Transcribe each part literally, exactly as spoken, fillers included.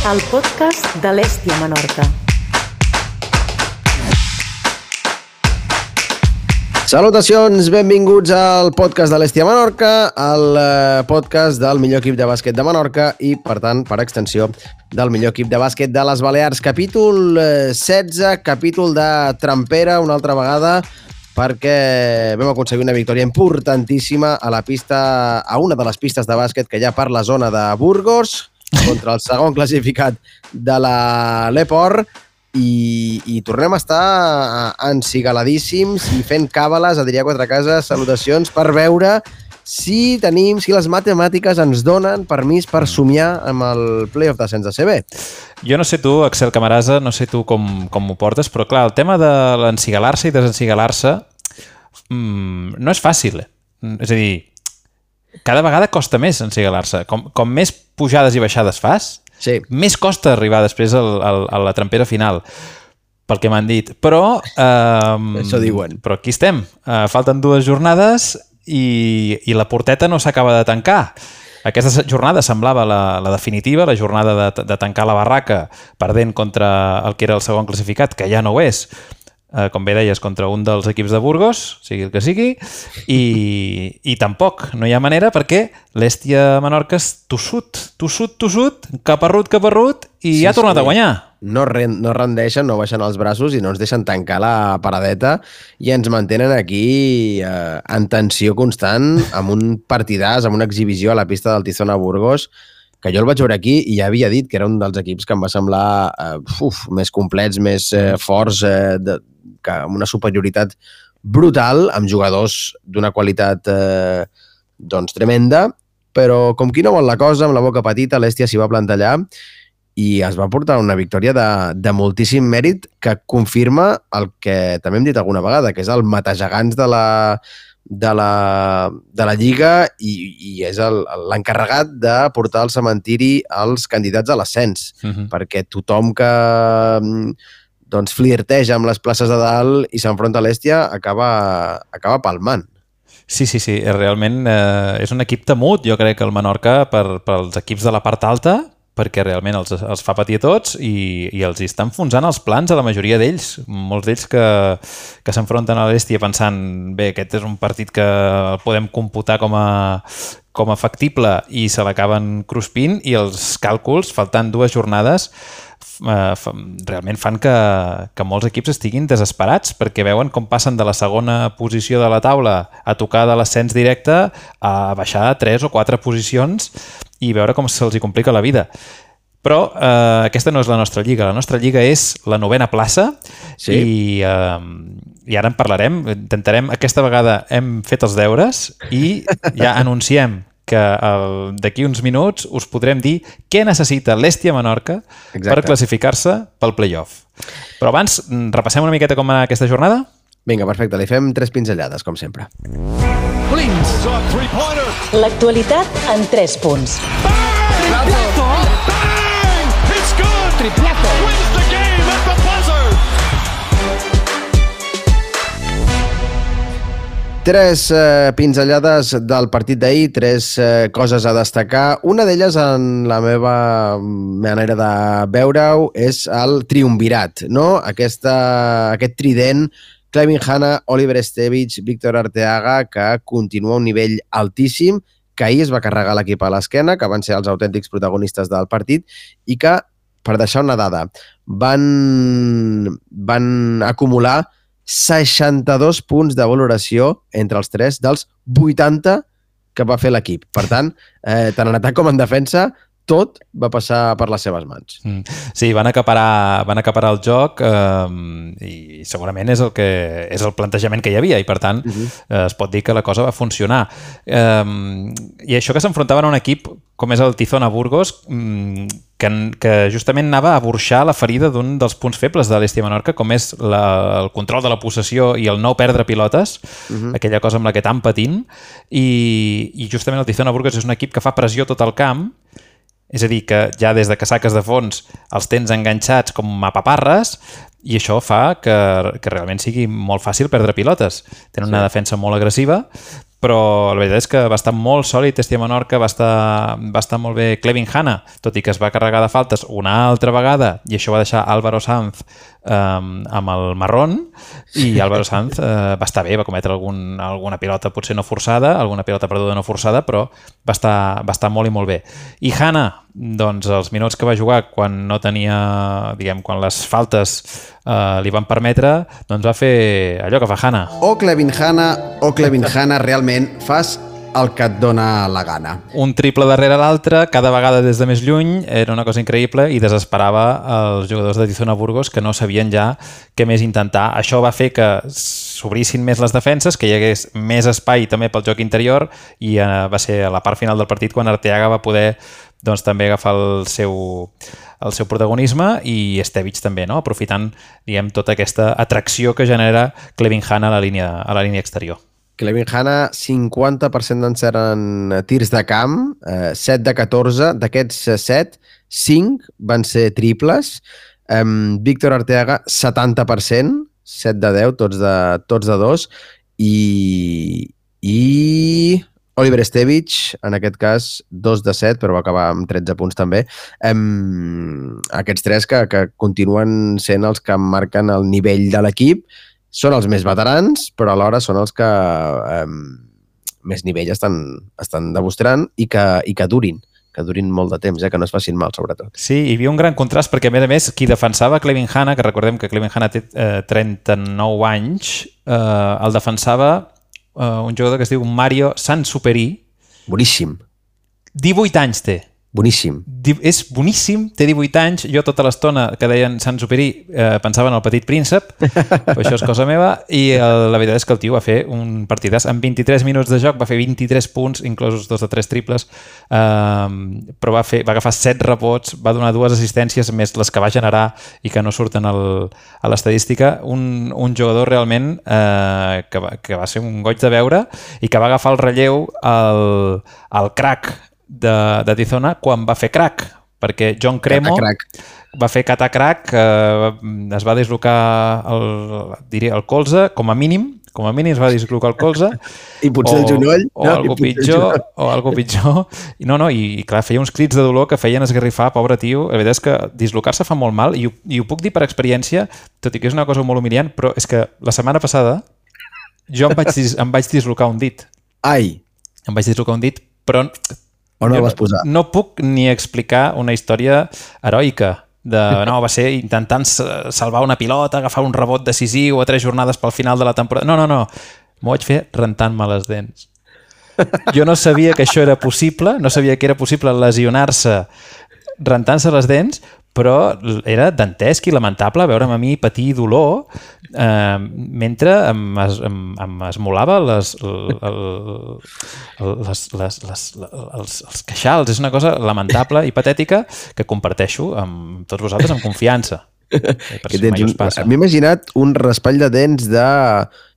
el podcast de l'Hèstia Menorca. Salutacions, benvinguts al podcast de l'Hèstia Menorca, el podcast del millor equip de bàsquet de Menorca i, per tant, per extensió, del millor equip de bàsquet de les Balears. Capítol setze, capítol de trampera, una altra vegada, perquè vam aconseguir una victòria importantíssima a la pista, a una de les pistes de bàsquet que hi ha per la zona de Burgos, contra el segon classificat de la l'Eport, i, i tornem a estar encigaladíssims i fent càbales, Adrià Quatrecases, salutacions, per veure si tenim, si les matemàtiques ens donen permís per somiar amb el playoff d'ascens de C B. Jo no sé tu, Axel Camarasa, no sé tu com, com m'ho portes, però clar, el tema de l'encigalar-se i desencigalar-se mmm, no és fàcil. És a dir, cada vegada costa més encigalar-se. Com, com més pujades i baixades fas, sí, més costa arribar després al, al, a la trampera final, pel que m'han dit. Però, eh, això diuen. Però aquí estem. Eh, falten dues jornades i, i la porteta no s'acaba de tancar. Aquesta jornada semblava la, la definitiva, la jornada de, de tancar la barraca perdent contra el que era el segon classificat, que ja no ho és, eh, com bé deies, contra un dels equips de Burgos, sigui el que sigui, i, i tampoc no hi ha manera perquè l'Hèstia Menorca és tossut, tossut, tossut, caparrut, caparrut, i sí, ha tornat sí. a guanyar. No, no rendeixen, no baixen els braços i no ens deixen tancar la paradeta i ens mantenen aquí eh, en tensió constant, amb un partidàs, amb una exhibició a la pista del Tizona Burgos, que jo el vaig veure aquí i ja havia dit que era un dels equips que em va semblar eh, uf, més complets, més eh, forts, eh, de, que, amb una superioritat brutal, amb jugadors d'una qualitat eh, doncs tremenda, però com qui no vol la cosa, amb la boca petita, l'Hèstia s'hi va plantar allà i es va portar una victòria de, de moltíssim mèrit que confirma el que també hem dit alguna vegada, que és el matagegants de la, de la, de la Lliga i, i és l'encarregat de portar al cementiri els candidats a l'ascens, uh-huh. perquè tothom que doncs, flirteja amb les places de dalt i s'enfronta a l'Hèstia acaba, acaba palmant. Sí, sí, sí, realment eh, és un equip temut, jo crec que el Menorca per, pels equips de la part alta, perquè realment els, els fa patir a tots i, i els està enfonsant els plans a la majoria d'ells. Molts d'ells que, que s'enfronten a l'Hèstia pensant bé, aquest és un partit que el podem computar com a, com a factible i se l'acaben cruspint i els càlculs, faltant dues jornades, eh, realment fan que, que molts equips estiguin desesperats perquè veuen com passen de la segona posició de la taula a tocar de l'ascens directe a baixar a tres o quatre posicions i veure com se'ls hi complica la vida. Però eh, aquesta no és la nostra lliga. La nostra lliga és la novena plaça sí. i, eh, i ara en parlarem. Intentarem, aquesta vegada hem fet els deures i ja anunciem que d'aquí uns minuts us podrem dir què necessita l'Hèstia Menorca Exacte. Per classificar-se pel playoff. Però abans, repassem una miqueta com va anar aquesta jornada? Vinga, perfecte. Li fem tres pinzellades, com sempre. L'actualitat en tres punts. Triplazo! Bang! It's good! Triplazo! Wins the game at the buzzer! Tres eh, pinzellades del partit d'ahir, tres eh, coses a destacar. Una d'elles, en la meva manera de veure-ho, és el triumvirat, no? Aquesta, aquest trident Clevin Hanna, Oliver Estevich, Víctor Arteaga, que continua a un nivell altíssim, que ahir es va carregar l'equip a l'esquena, que van ser els autèntics protagonistes del partit, i que, per deixar una dada, van, van acumular seixanta-dos punts de valoració entre els tres dels vuitanta que va fer l'equip. Per tant, eh, tant en atac com en defensa, tot va passar per les seves mans. Mm. Sí, van acaparar, van acaparar el joc eh, i segurament és el, que, és el plantejament que hi havia i per tant uh-huh. eh, es pot dir que la cosa va funcionar. Eh, I això que s'enfrontaven a un equip com és el Tizona Burgos que, que justament anava a burxar la ferida d'un dels punts febles de l'Hèstia Menorca, com és la, el control de la possessió i el no perdre pilotes, uh-huh. aquella cosa amb la que tan patint, i, i justament el Tizona Burgos és un equip que fa pressió tot el camp. És a dir, que ja des de casaques de fons els tens enganxats com a paparres i això fa que, que realment sigui molt fàcil perdre pilotes. Tenen una sí. defensa molt agressiva però la veritat és que va estar molt sòlid Estia Menorca, va estar, va estar molt bé Clevin Hanna, tot i que es va carregar de faltes una altra vegada, i això va deixar Álvaro Sanz um, amb el marrón, i Álvaro Sanz uh, va estar bé, va cometre algun, alguna pilota potser no forçada, alguna pilota perduda no forçada, però va estar, va estar molt i molt bé. I Hanna, doncs els minuts que va jugar quan no tenia, diguem, quan les faltes uh, li van permetre, doncs va fer allò que fa Hanna. O Clevin Hanna o Clevin Hanna, realment fas el que et dona la gana. Un triple darrere l'altre, cada vegada des de més lluny, era una cosa increïble i desesperava els jugadors de Tizona Burgos que no sabien ja què més intentar. Això va fer que s'obrissin més les defenses, que hi hagués més espai també pel joc interior i eh, va ser a la part final del partit quan Arteaga va poder doncs, també agafar el seu, el seu protagonisme i Estevic també, no? Aprofitant diguem, tota aquesta atracció que genera Clevin Hanna a la línia, a la línia exterior. Clevin Hanna, cinquanta per cent d'encert en tirs de camp, eh, set de catorze, d'aquests set, cinc van ser triples. Eh, Víctor Arteaga, setanta per cent, set de deu, tots de, tots de dos, i, i Oliver Estevic, en aquest cas, dos de set, però va acabar amb tretze punts també. Eh, aquests tres que, que continuen sent els que marquen el nivell de l'equip. Són els més veterans, però alhora són els que eh, més nivell estan, estan demostrant i que, i que durin, que durin molt de temps, eh, que no es facin mal, sobretot. Sí, hi havia un gran contrast, perquè a més a més, qui defensava Clevin Hanna, que recordem que Clevin Hanna té eh, trenta-nou anys, eh, el defensava eh, un jugador que es diu Mario Sansuperi. Boníssim. divuit anys té. Boníssim. És boníssim, té divuit anys. Jo tota l'estona que deien Sansuperi eh, pensava en el Petit Príncep, però això és cosa meva, i el, la veritat és que el tio va fer un partidàs. En vint-i-tres minuts de joc va fer vint-i-tres punts, inclosos dos de tres triples, eh, però va, fer, va agafar set rebots, va donar dues assistències més les que va generar i que no surten al, a l'estadística. Un, un jugador realment eh, que, va, que va ser un goig de veure i que va agafar el relleu al, al crack de, de Tizona quan va fer crack, perquè John Cremo va fer catacrac, eh, es va dislocar el, diria, el colze, com a mínim, com a mínim es va dislocar el colze. I potser o, el genoll. O, no, algo pitjor, o algo pitjor. I no, no, i, i clar, feia uns crits de dolor que feien esgarrifar, pobre tio. La veritat és que dislocar-se fa molt mal, i ho, i ho puc dir per experiència, tot i que és una cosa molt humiliant, però és que la setmana passada jo em vaig, em vaig dislocar un dit. Ai! Em vaig dislocar un dit, però... On el vas posar? No puc ni explicar una història heroica. De, no, va ser intentant salvar una pilota, agafar un rebot decisiu a tres jornades pel final de la temporada. No, no, no. M'ho vaig fer rentant-me les dents. Jo no sabia que això era possible, no sabia que era possible lesionar-se rentant-se les dents, però era dantesc i lamentable veure'm a mi patir dolor eh, mentre em, es, em, em esmolava les, el, el, les, les, les, els, els queixals. És una cosa lamentable i patètica que comparteixo amb tots vosaltres amb confiança. Que tens un... M'he imaginat un raspall de dents de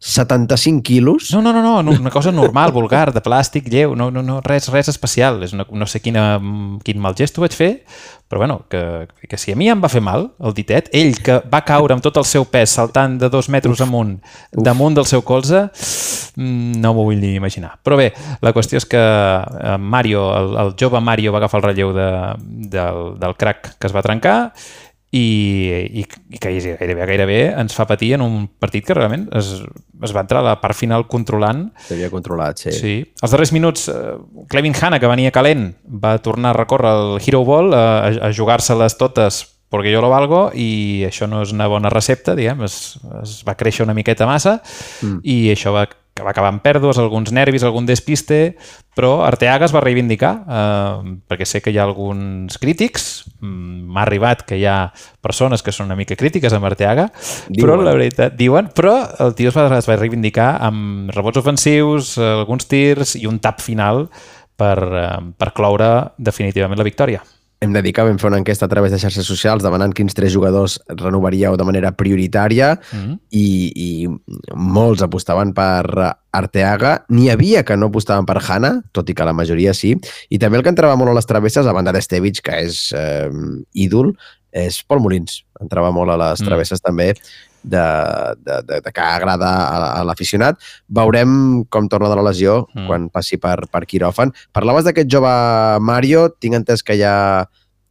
setanta-cinc quilos. No, no, no, no, una cosa normal, vulgar, de plàstic, lleu, no, no, no res, res especial. És una, no sé quina, quin mal gesto vaig fer, però bueno, que, que si a mi em va fer mal el ditet, ell que va caure amb tot el seu pes saltant de dos metres uf, amunt uf. damunt del seu colze, no m'ho vull ni imaginar. Però bé, la qüestió és que Mario, el, el jove Mario va agafar el relleu de, del, del crack que es va trencar i, i, i que gairebé, gairebé ens fa patir en un partit que realment es, es va entrar a la part final controlant. S'havia controlat, sí. Sí. Els darrers minuts, uh, Clevin Hanna, que venia calent, va tornar a recórrer el Hero Ball, uh, a, a jugar-se-les totes perquè jo lo valgo, i això no és una bona recepta, diguem, es, es va créixer una miqueta massa, mm. i això va, va acabar amb pèrdues, alguns nervis, algun despiste, però Arteaga es va reivindicar, eh, perquè sé que hi ha alguns crítics, m'ha arribat que hi ha persones que són una mica crítiques amb Arteaga, diuen. Però la veritat, diuen, però el tio es va, es va reivindicar amb rebots ofensius, alguns tirs i un tap final per, per cloure definitivament la victòria. Hem de dir que vam fer una enquesta a través de xarxes socials demanant quins tres jugadors renovaríeu de manera prioritària mm-hmm. i, i molts apostaven per Arteaga. N'hi havia que no apostaven per Hanna, tot i que la majoria sí. I també el que entrava molt a les travesses, a banda d'Estevic, que és eh, ídol, és Pol Molins. Entrava molt a les travesses mm. també de, de, de, de que agrada a, a l'aficionat. Veurem com torna de la lesió mm. quan passi per, per quiròfan. Parlaves d'aquest jove Mario, tinc entès que hi ha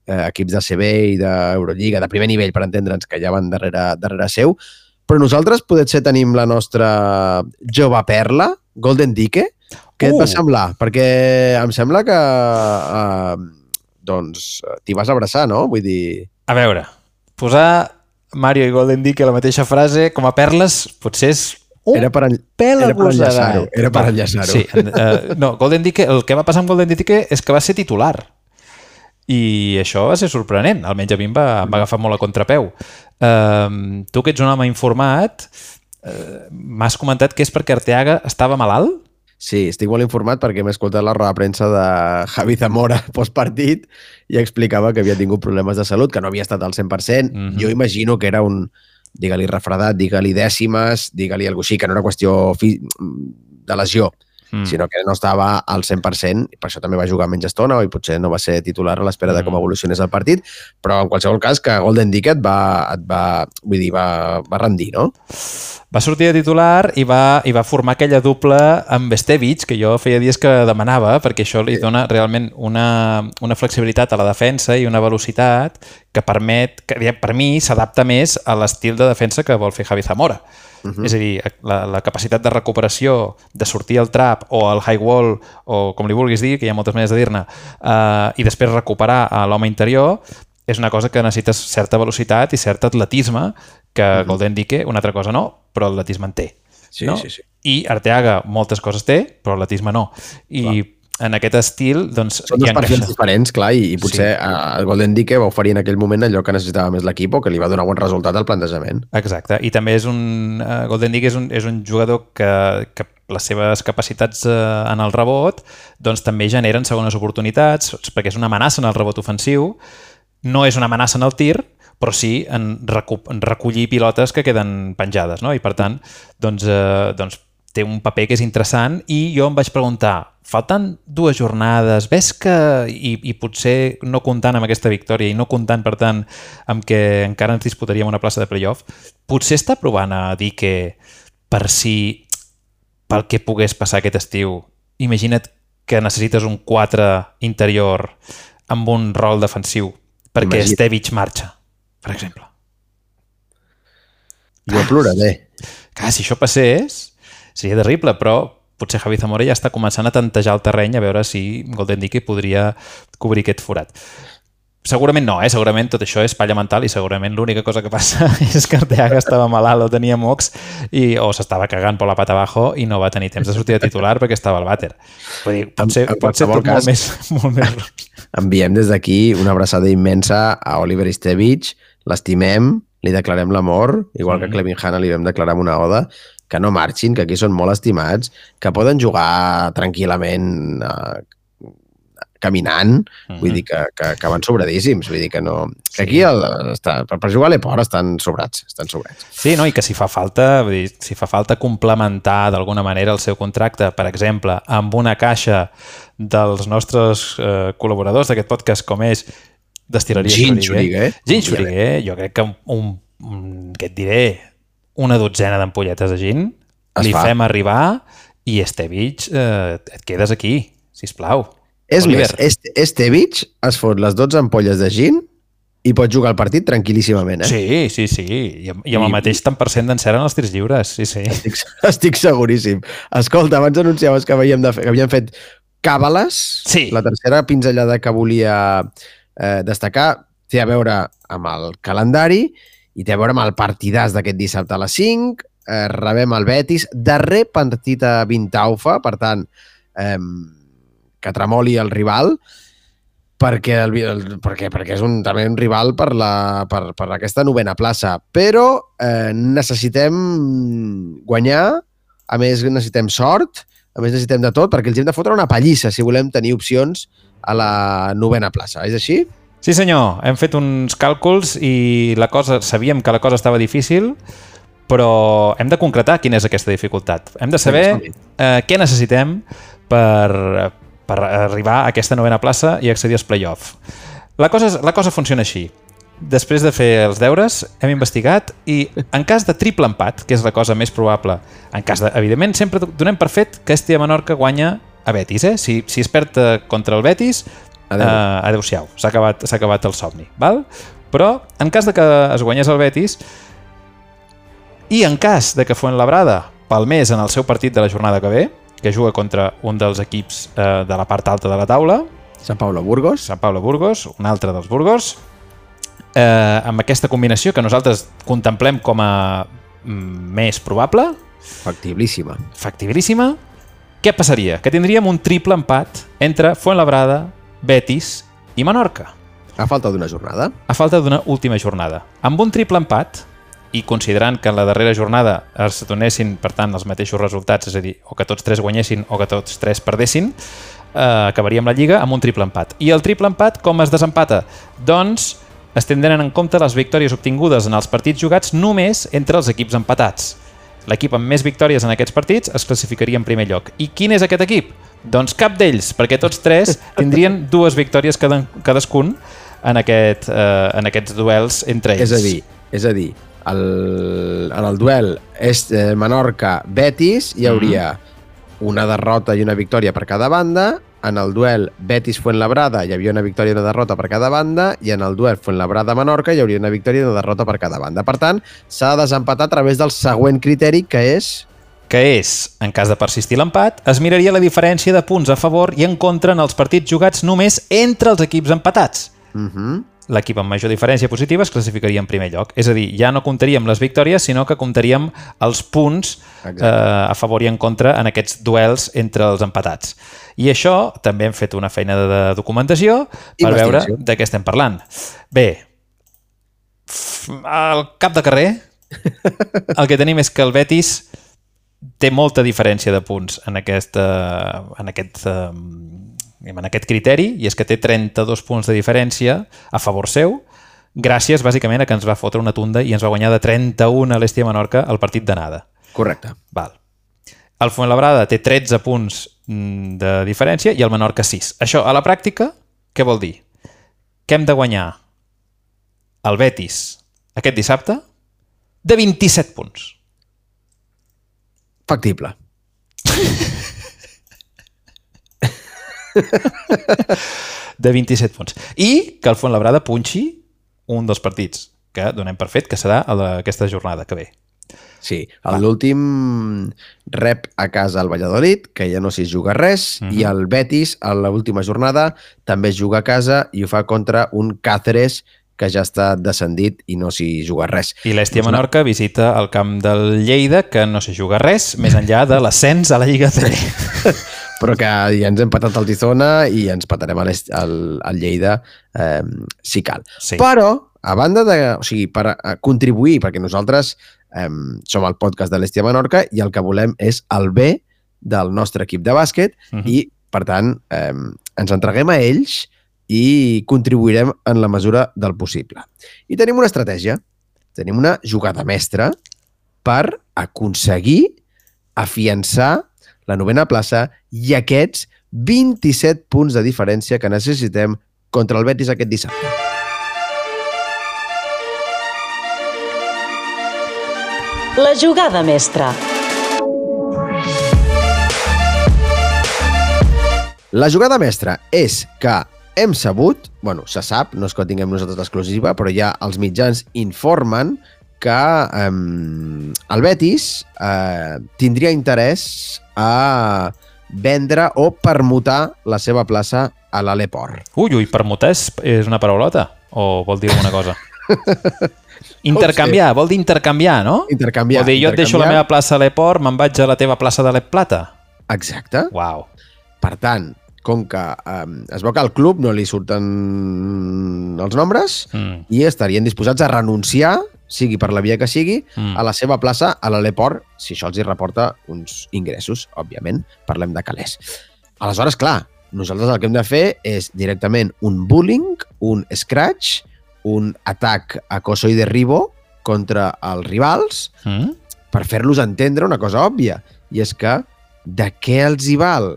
eh, equips de C B i d'Eurolliga, de primer nivell, per entendre'ns, que ja van darrere, darrere seu, però nosaltres potser tenim la nostra jove perla, Golden Dike. Què uh. et va semblar? Perquè em sembla que eh, doncs t'hi vas abraçar, no? Vull dir... A veure, posar Mario i Golden Dike a la mateixa frase com a perles potser és un era per, en... pèl era per enllaçar-ho. agosarat. Era per enllaçar-ho. Sí, uh, no, Golden Dike, el que va passar amb Golden Dike és que va ser titular. I això va ser sorprenent. Almenys a mi em va, em va agafar molt a contrapeu. Uh, tu que ets un home informat, uh, m'has comentat que és perquè Arteaga estava malalt? Sí, estic molt informat perquè m'he escoltat la roda de premsa de Javi Zamora postpartit i explicava que havia tingut problemes de salut, que no havia estat al cent per cent. Mm-hmm. Jo imagino que era un, digue-li refredat, digue-li dècimes, digue-li alguna cosa així, que no era qüestió fi... de lesió, mm. sinó que no estava al cent per cent, i per això també va jugar menys estona, i potser no va ser titular a l'espera mm. de com evolucionés el partit, però en qualsevol cas que Golden Dike et va, et va, vull dir, va, va rendir, no? Va sortir de titular i va, i va formar aquella dupla amb Estevic, que jo feia dies que demanava, perquè això li dona realment una, una flexibilitat a la defensa i una velocitat que permet, que per mi s'adapta més a l'estil de defensa que vol fer Javi Zamora. Uh-huh. És a dir, la, la capacitat de recuperació, de sortir al trap o al high wall, o com li vulguis dir, que hi ha moltes maneres de dir-ne, uh, i després recuperar a l'home interior, és una cosa que necessites certa velocitat i cert atletisme, que uh-huh. Golden Dike, una altra cosa no, però l'atletisme en té. Sí, no? sí, sí. I Arteaga moltes coses té, però l'atletisme no. I clar. En aquest estil, doncs... Són dos perfils diferents, clar, i, i potser sí. el Golden Dike va oferir en aquell moment allò que necessitava més l'equip o que li va donar bon resultat al plantejament. Exacte, i també és un... Uh, Golden Dike és un, és un jugador que, que les seves capacitats uh, en el rebot doncs també generen segones oportunitats, perquè és una amenaça en el rebot ofensiu, no és una amenaça en el tir, però sí en, recu en recollir pilotes que queden penjades, no? I per tant, doncs, eh, doncs té un paper que és interessant i jo em vaig preguntar, faltant dues jornades, ves que, i, i potser no comptant amb aquesta victòria i no comptant, per tant, amb que encara ens disputaríem una plaça de playoff, potser està provant a dir que per si, pel que pogués passar aquest estiu, imagina't que necessites un quatre interior amb un rol defensiu perquè Imagina. Estevic marxa, per exemple. Jo ploraré. Clar, si això passés, seria terrible, però potser Javi Zamora ja està començant a tantejar el terreny a veure si Golden Dike podria cobrir aquest forat. Segurament no, eh? Segurament tot això és palla mental i segurament l'única cosa que passa és que Arteaga estava malalt o tenia mocs i, o s'estava cagant per la pata abajo i no va tenir temps de sortir de titular perquè estava al vàter. Vull dir, pot ser, en, en pot ser tot cas, molt més, molt més... Enviem des d'aquí una abraçada immensa a Oliver Estevic, l'estimem, li declarem l'amor, igual que a Clevin Hanna li vam declarar una oda, que no marxin, que aquí són molt estimats, que poden jugar tranquil·lament eh, caminant, mm-hmm. vull dir que, que, que van sobradíssims, vull dir que no... Que aquí el, està, per, per jugar a l'Eport estan sobrats, estan sobrats. Sí, no? I que si fa falta, vull dir, si fa falta complementar d'alguna manera el seu contracte, per exemple, amb una caixa dels nostres eh, col·laboradors d'aquest podcast, com és Destil·leria Gin Xuriguer. Gin Xuriguer, jo crec que un, un, què et diré, una dotzena d'ampolletes de gin, es li fa. Fem arribar i Estevic, eh, et quedes aquí, sisplau. És Oliver. més, este, Estevic es fot les dotze ampolles de gin i pot jugar el partit tranquil·líssimament, eh? Sí, sí, sí. I amb, i amb I, el mateix tant per cent d'encert en els tirs lliures, sí, sí. Estic, estic seguríssim. Escolta, abans anunciaves que, havíem de fer, que havíem fet càbales. Sí. La tercera pinzellada que volia eh, destacar té a veure amb el calendari i té a veure amb el partidàs d'aquest dissabte a les cinc. Eh, rebem el Betis. Darrer partit a Vintaufa, per tant, eh, que tremoli el rival, perquè, el, el, perquè, perquè és un, també un rival per, la, per, per aquesta novena plaça. Però eh, necessitem guanyar, a més necessitem sort, a més necessitem de tot, perquè els hem de fotre una pallissa si volem tenir opcions a la novena plaça. És així? Sí, senyor. Hem fet uns càlculs i la cosa, sabíem que la cosa estava difícil, però hem de concretar quina és aquesta dificultat. Hem de saber eh, què necessitem per, per arribar a aquesta novena plaça i accedir als play-off. La cosa, la cosa funciona així. després de fer els deures, hem investigat i en cas de triple empat, que és la cosa més probable, en cas de, evidentment, sempre donem per fet que Estia Menorca guanya a Betis, eh? Si, si es perd contra el Betis, adeu. Uh, adeu-siau, s'ha acabat, s'ha acabat el somni, val? Però en cas de que es guanyés el Betis i en cas de que Fuenlabrada palmés en el seu partit de la jornada que ve, que juga contra un dels equips uh, de la part alta de la taula, Sant Pablo Burgos. Sant Pablo Burgos, un altre dels Burgos, eh, amb aquesta combinació que nosaltres contemplem com a mm, més probable, Factibilíssima. factibilíssima, què passaria? Que tindríem un triple empat entre Fuenlabrada, Betis i Menorca. A falta d'una jornada. A falta d'una última jornada. Amb un triple empat, i considerant que en la darrera jornada es donessin, per tant, els mateixos resultats, és a dir, o que tots tres guanyessin o que tots tres perdessin, eh, acabaríem la Lliga amb un triple empat. I el triple empat, com es desempata? Doncs es tindran en compte les victòries obtingudes en els partits jugats només entre els equips empatats. L'equip amb més victòries en aquests partits es classificaria en primer lloc. I quin és aquest equip? Doncs cap d'ells, perquè tots tres tindrien dues victòries cada, cadascun en, aquest, eh, en aquests duels entre ells. És a dir, és a dir el, en el duel és eh, Menorca-Betis hi hauria mm. una derrota i una victòria per cada banda. En el duel Betis-Fuenlabrada hi havia una victòria i una derrota per cada banda, i en el duel Fuenlabrada-Menorca hi hauria una victòria i una derrota per cada banda. Per tant, s'ha de desempatar a través del següent criteri, que és... que és, en cas de persistir l'empat, es miraria la diferència de punts a favor i en contra en els partits jugats només entre els equips empatats. Uh -huh. L'equip amb major diferència positiva es classificaria en primer lloc. És a dir, ja no comptaríem les victòries, sinó que comptaríem els punts eh, a favor i en contra en aquests duels entre els empatats. I això també hem fet una feina de documentació per veure de què estem parlant. Bé, al cap de carrer el que tenim és que el Betis té molta diferència de punts en, aquesta, en, aquest, en aquest criteri, i és que té trenta-dos punts de diferència a favor seu, gràcies bàsicament a que ens va fotre una tunda i ens va guanyar de trenta-un a l'Estia Menorca el partit d'anada. Correcte. Val. El Fuenlabrada té tretze punts de diferència i el Menorca sis. Això, a la pràctica, què vol dir? Que hem de guanyar el Betis aquest dissabte de vint-i-set punts. Factible. De vint-i-set punts. I que el Fuenlabrada punxi un dels partits que donem per fet que serà aquesta jornada que ve. Sí, l'últim rep a casa el Valladolid, que ja no s'hi juga res, uh-huh. i el Betis, a l'última jornada, també es juga a casa i ho fa contra un Cáceres que ja està descendit i no s'hi juga res. I l'Estia Menorca visita el camp del Lleida, que no s'hi juga res, més enllà de l'ascens a la Lliga C B. Però que ja ens hem patat el Tizona i ens patarem al, al Lleida eh, si cal. Sí. Però, a banda de... O sigui, per contribuir, perquè nosaltres eh, som el podcast de l'Estia Menorca i el que volem és el bé del nostre equip de bàsquet uh-huh. i, per tant, eh, ens entreguem a ells i contribuirem en la mesura del possible. I tenim una estratègia, tenim una jugada mestra per aconseguir afiançar la novena plaça i aquests vint-i-set punts de diferència que necessitem contra el Betis aquest dissabte. La jugada mestra. La jugada mestra és que hem sabut, bueno, se sap, no és que tinguem nosaltres l'exclusiva, però ja els mitjans informen que eh, el Betis eh, tindria interès a vendre o permutar la seva plaça a l'Aleport. Ui, ui, permutar és, és una paraulota? O vol dir alguna cosa? Intercanviar, vol dir intercanviar, no? Intercanviar. O dir, jo et deixo la meva plaça a l'Aleport, me'n vaig a la teva plaça de l'Plata. Exacte. Uau. Per tant, com que eh, es veu que al club no li surten els nombres mm. i estarien disposats a renunciar, sigui per la via que sigui, mm. a la seva plaça a l'Aleport, si això els hi reporta uns ingressos, òbviament, parlem de calés. Aleshores, clar, nosaltres el que hem de fer és directament un bullying, un scratch, un atac acoso i derribo contra els rivals mm. per fer-los entendre una cosa òbvia, i és que de què els hi val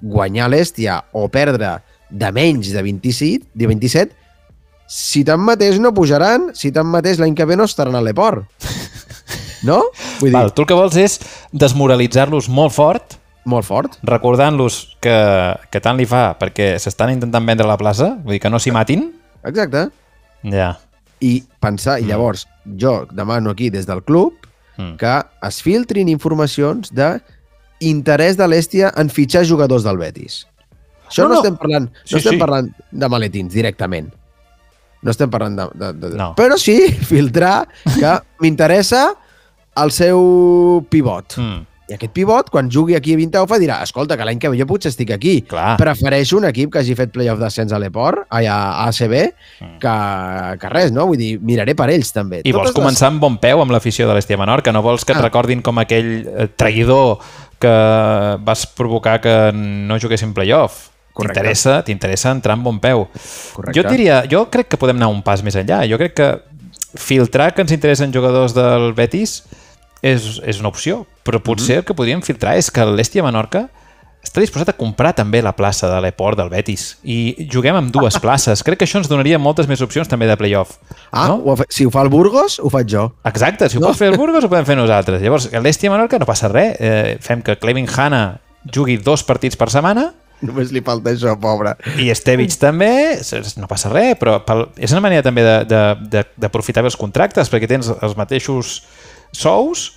guanyar l'Hèstia o perdre de menys de vint-i-set, de vint-i-set si tanmateix no pujaran, si tanmateix l'any que ve no estaran a l'Eport. No? Vull dir, Val, tu el que vols és desmoralitzar-los molt fort, molt fort. recordant-los que, que tant li fa perquè s'estan intentant vendre la plaça, vull dir que no s'hi matin. Exacte. Ja. I pensar, i llavors jo demano aquí des del club Mm. que es filtrin informacions de interès de l'Hèstia en fitxar jugadors del Betis. Això No, no, no. estem parlant, no Sí, estem sí. parlant de maletins directament. No estem parlant de... de, de No. Però sí filtrar que m'interessa el seu pivot. Mm. I aquest pivot, quan jugui aquí a Vintaufa, dirà escolta, que l'any que ve jo potser estic aquí. Clar. Prefereixo un equip que hagi fet playoff d'ascens a l'Eport, a, a A C B, Mm. que, que res, no? Vull dir, miraré per ells, també. I vols Totes començar amb bon peu amb l'afició de l'Hèstia Menorca, no vols que et Ah. recordin com aquell eh, traïdor que vas provocar que no juguessin playoff. Correcte. T'interessa t'interessa entrar amb bon peu. Correcte. Jo et diria, jo crec que podem anar un pas més enllà. Jo crec que filtrar que ens interessen jugadors del Betis és, és una opció, però potser el que podríem filtrar és que l'Hèstia Menorca està disposat a comprar també la plaça de l'Eport del Betis i juguem amb dues places. Crec que això ens donaria moltes més opcions també de playoff. Ah, no? ho ha fet, si ho fa el Burgos, ho faig jo. Exacte, si ho No? pot fer el Burgos ho podem fer nosaltres. Llavors, l'Hèstia Menorca no passa res. Eh, fem que Clevin Hanna jugui dos partits per setmana Només li falta això, pobre. i Estevich també, no passa res, però pel, és una manera també de- de- de- d'aprofitar bé els contractes perquè tens els mateixos sous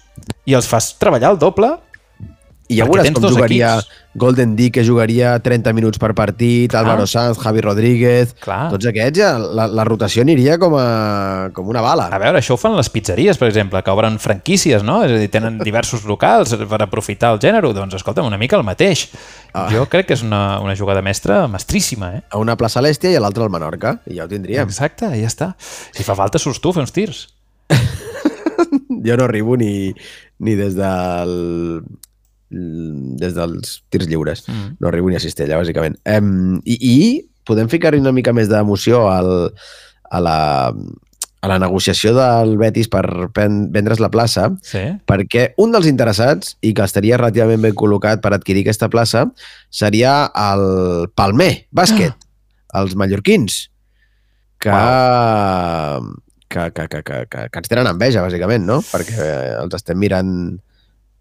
i els fas treballar el doble. I ja Perquè veuràs tens com dos jugaria equips. Golden D, que jugaria trenta minuts per partit, Clar. Álvaro Sanz, Javi Rodríguez... Clar. Tots aquests, ja, la, la rotació aniria com, a, com una bala. A veure, això ho fan les pizzeries, per exemple, que obren franquícies, no? És a dir, tenen diversos locals per aprofitar el gènere. Doncs, escolta'm, una mica el mateix. Ah. Jo crec que és una, una jugada mestra mestríssima, eh? A una plaça a l'Hèstia i a l'altra al Menorca. I ja ho tindríem. Exacte, ja està. Si fa falta, surts tu a fer uns tirs. Jo no arribo ni, ni des del des dels tirs lliures. Mm. No arribo ni a Cistella, bàsicament. Um, i, I podem ficar-hi una mica més d'emoció al, a, la, a la negociació del Betis per pen, vendre's la plaça, Sí. perquè un dels interessats, i que estaria relativament ben col·locat per adquirir aquesta plaça, seria el Palmer Bàsquet, els mallorquins, que, que, que, que, que, que, que ens tenen enveja, bàsicament, no? Perquè els estem mirant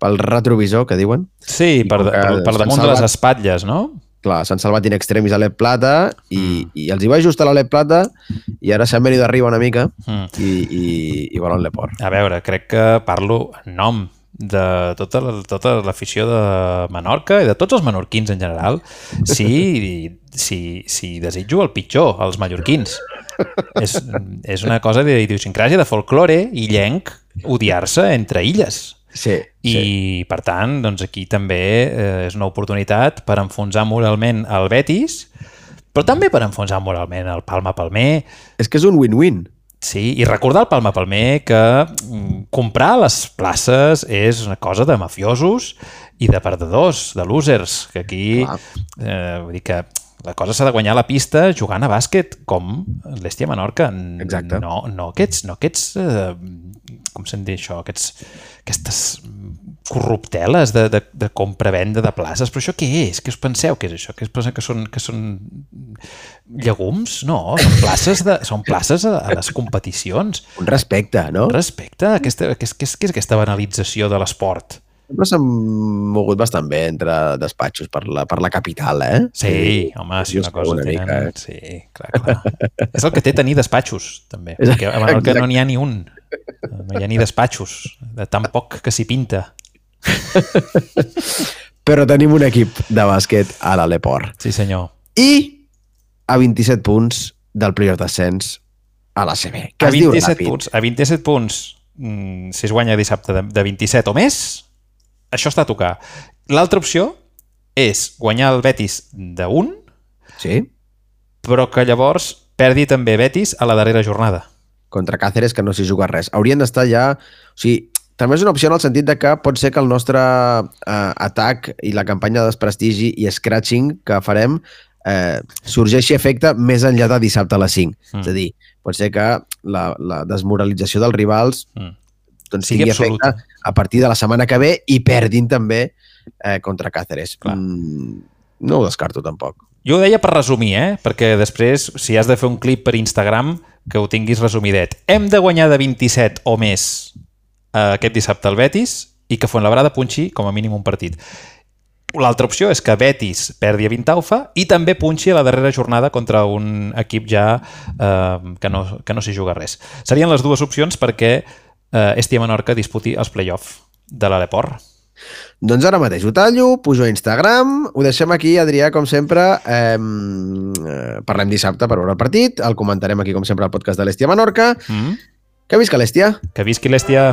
pel retrovisor, que diuen. Sí, I per, com que per, per s'han damunt de les salvat- espatlles, no? Clar, s'han salvat in extremis a l'E Plata i, i els hi va ajustar la l'E Plata i ara s'han venit d'arriba una mica Mm. i, i, i volen l'Eport. A veure, crec que parlo en nom de tota la- tota l'afició de Menorca i de tots els menorquins en general, si, si, si desitjo el pitjor, els mallorquins. És, és una cosa d'idiosincràsia, de folklore illenc, odiar-se entre illes. Sí, I, sí. per tant, doncs aquí també eh, és una oportunitat per enfonsar moralment el Betis, però també per enfonsar moralment el Palma Palmer. És que és un win-win. Sí, i recordar al Palma Palmer que mm, comprar les places és una cosa de mafiosos i de perdedors, de losers, que aquí Clar. eh, vull dir que la cosa s'ha de guanyar a la pista jugant a bàsquet, com l'Hèstia Menorca. Exacte. No, no aquests, no aquests eh, com se'n diu això, aquests, aquestes corrupteles de, de, de compra-venda de places. Però això què és? Què us penseu que és això? Que es pensa que són, que són llegums? No, són places, de, són places a, a les competicions. Un respecte, no? Respecte, aquesta, què, és, què, és, què és aquesta banalització de l'esport? Però s'han mogut bastant bé entre despatxos per la, per la capital, eh? Sí, home, si una cosa una tenen... mica, eh? Sí, clar, clar. És el que té tenir despatxos, també. Exacte. Perquè a Menorca no n'hi ha ni un. No hi ha ni despatxos, de tan poc que s'hi pinta. Però tenim un equip de bàsquet a l'Aleport. Sí, senyor. I a vint-i-set punts del playoff d'ascens a l'A C B. Que A es diu vint-i-set ràpid. punts, a vint-i-set punts, mm, si es guanya dissabte de, de vint-i-set o més, això està a tocar. L'altra opció és guanyar el Betis d'un, Sí, però que llavors perdi també Betis a la darrera jornada. contra Cáceres, que no s'hi juga res. Haurien d'estar ja... O sigui, també és una opció en el sentit de que pot ser que el nostre eh, atac i la campanya de desprestigi i scratching que farem eh, sorgeixi efecte més enllà de dissabte a les cinc. Mm. És a dir, pot ser que la, la desmoralització dels rivals Mm. doncs, Sigui tingui absoluta. efecte a partir de la setmana que ve i perdin també eh, contra Cáceres. Clar. Mm, no ho descarto tampoc. Jo ho deia per resumir, eh? Perquè després, si has de fer un clip per Instagram, que ho tinguis resumidet. Hem de guanyar de vint-i-set o més eh, aquest dissabte al Betis i que Fuenlabrada punxi com a mínim un partit. L'altra opció és que Betis perdi a Vintaufa i també punxi a la darrera jornada contra un equip ja eh, que no, que no s'hi juga res. Serien les dues opcions perquè eh, Estia Menorca disputi els play-off de l'Aleport. Doncs ara mateix ho tallo, pujo a Instagram, ho deixem aquí, Adrià, com sempre. Eh, parlem dissabte per veure el partit, el comentarem aquí, com sempre, al podcast de l'Estia Menorca. Mm? Que visca l'Estia! Que visqui l'Estia!